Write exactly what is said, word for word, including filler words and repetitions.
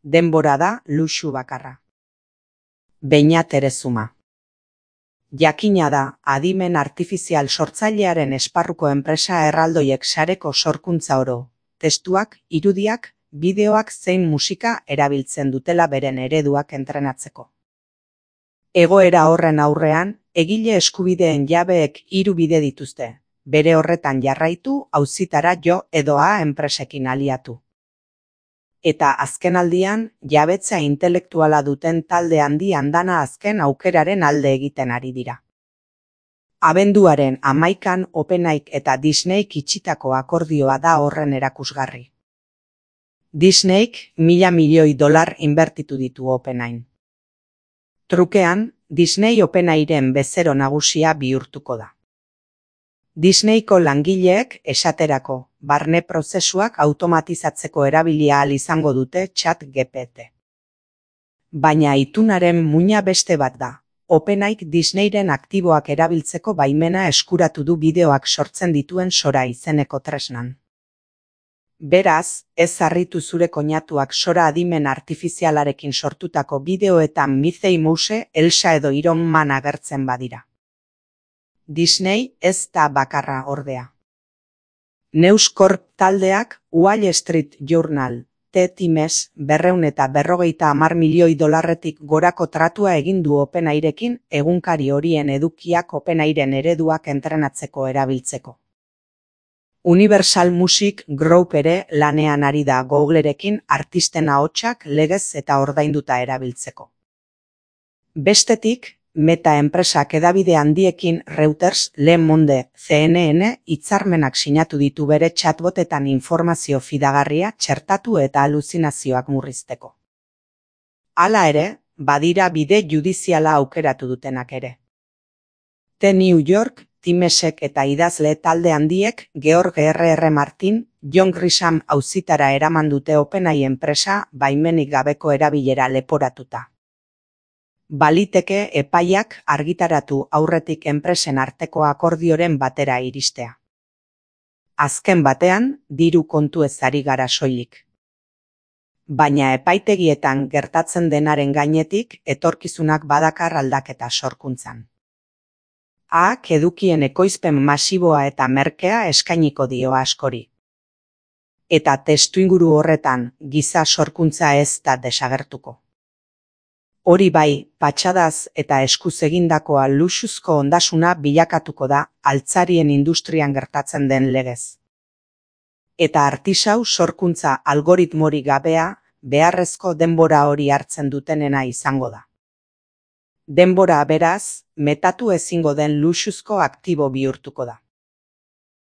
denbora da luxu bakarra. Beñat Erezuma. Jakina da, adimen artifizial sortzailearen esparruko enpresa erraldoiek sareko sorkuntza oro, testuak, irudiak, bideoak zein musika erabiltzen dutela beren ereduak entrenatzeko. Egoera horren aurrean, egile eskubideen jabeek hiru bide dituzte, bere horretan jarraitu, auzitara jo edo a enpresekin aliatu. Eta azkenaldian, jabetza intelektuala duten talde handi andana azken aukeraren alde egiten ari dira. Abenduaren hamaikan OpenAIk eta Disneyk itxitako akordioa da horren erakusgarri. Disneyk mila milioi dolar inbertitu ditu OpenAIn. Trukean, Disney OpenAIren bezero nagusia bihurtuko da. Disneyko langileek esaterako, barne prozesuak automatizatzeko erabilia ahal izango dute ChatGPT. Baina itunaren muina beste bat da. OpenAIk Disneyren aktiboak erabiltzeko baimena eskuratu du bideoak sortzen dituen Sora izeneko tresnan. Beraz, ez harritu zure koinatuak Sora adimen artifizialarekin sortutako bideoetan Mickey Mouse, Elsa edo Iron Man agertzen badira. Disney ez da bakarra ordea. News Corp taldeak Wall Street Journal, T-Times, berrehun eta berrogeita hamar milioi dolarretik gorako tratua egin du OpenAIrekin egunkari horien edukiak OpenAIren ereduak entrenatzeko erabiltzeko. Universal Music Group ere lanean ari da Googlerekin artisten ahotsak legez eta ordainduta erabiltzeko. Bestetik, Meta enpresak hedabide handiekin Reuters, Le Monde, C N N hitzarmenak sinatu ditu bere chatbotetan informazio fidagarria txertatu eta aluzinazioak murrizteko. Hala ere, badira bide judiziala aukeratu dutenak ere. The New York, Timesek eta idazle talde handiek George R R Martin, John Grisham auzitara eraman dute OpenAI enpresa baimenik gabeko erabilera leporatuta. Baliteke epaiak argitaratu aurretik enpresen arteko akordioren batera iristea. Azken batean, diru kontu ez ari gara soilik. Baina epaitegietan gertatzen denaren gainetik etorkizunak badakar aldaketa sorkuntzan. Aak edukien ekoizpen masiboa eta merkea eskainiko dio askori. Eta testuinguru horretan giza sorkuntza ez da desagertuko. Hori bai, patxadaz eta eskuz egindakoa luxuzko ondasuna bilakatuko da altzarien industrian gertatzen den legez. Eta artisau sorkuntza algoritmorik gabea beharrezko denbora hori hartzen dutenena izango da. Denbora beraz, metatu ezingo den luxuzko aktibo bihurtuko da.